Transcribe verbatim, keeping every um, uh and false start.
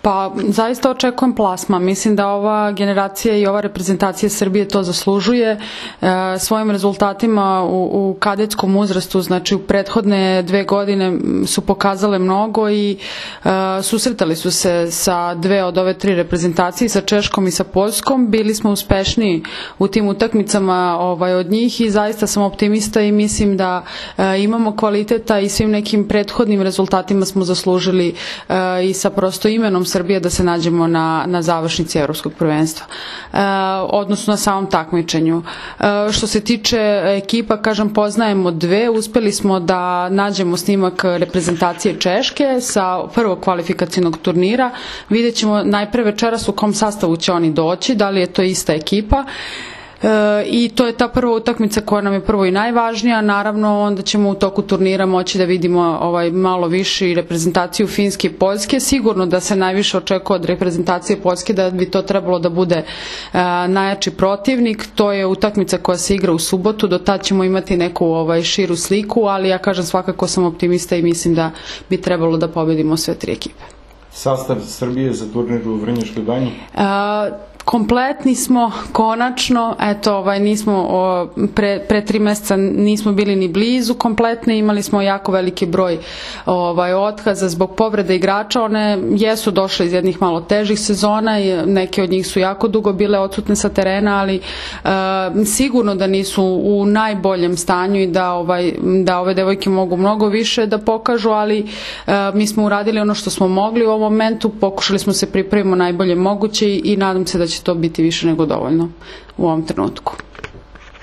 Pa zaista očekujem plasma. Mislim da ova generacija i ova reprezentacija Srbije to zaslužuje. E, svojim rezultatima u, u kadetskom uzrastu, znači u prethodne dve godine su pokazale mnogo i e, susretali su se sa dve od ove tri reprezentacije, sa Češkom i sa Poljskom. Bili smo uspešniji u tim utakmicama ovaj, od njih i zaista sam optimista i mislim da e, imamo kvaliteta i svim nekim prethodnim rezultatima smo zaslužili e, i sa prosto imenom Srbije da se nađemo na, na završnici Evropskog prvenstva, e, odnosno na samom takmičenju. E, što se tiče ekipa, kažem, poznajemo dve, uspeli smo da nađemo snimak reprezentacije Češke sa prvog kvalifikacijnog turnira. Vidjet ćemo najpre večeras u kom sastavu će oni doći, da li je to ista ekipa. E, i to je ta prva utakmica koja nam je prvo i najvažnija. Naravno, onda ćemo u toku turnira moći da vidimo ovaj malo više i reprezentaciju Finske i Poljske. Sigurno da se najviše očekuje od reprezentacije Poljske da bi to trebalo da bude e, najjači protivnik. To je utakmica koja se igra u subotu, do tad ćemo imati neku ovaj širu sliku, ali ja kažem svakako sam optimista i mislim da bi trebalo da pobedimo sve tri ekipe. Sastav Srbije za turnir u Vrnjačkoj Banji? E, Kompletni smo, konačno, eto, ovaj, nismo, o, pre, pre tri meseca nismo bili ni blizu kompletne, imali smo jako veliki broj ovaj, otkaza zbog povrede igrača, one jesu došle iz jednih malo težih sezona i neke od njih su jako dugo bile odsutne sa terena, ali e, sigurno da nisu u najboljem stanju i da, ovaj, da ove devojke mogu mnogo više da pokažu, ali e, mi smo uradili ono što smo mogli u ovom momentu, pokušali smo se pripremimo najbolje moguće i, i nadam se da će to biti više nego dovoljno u ovom trenutku.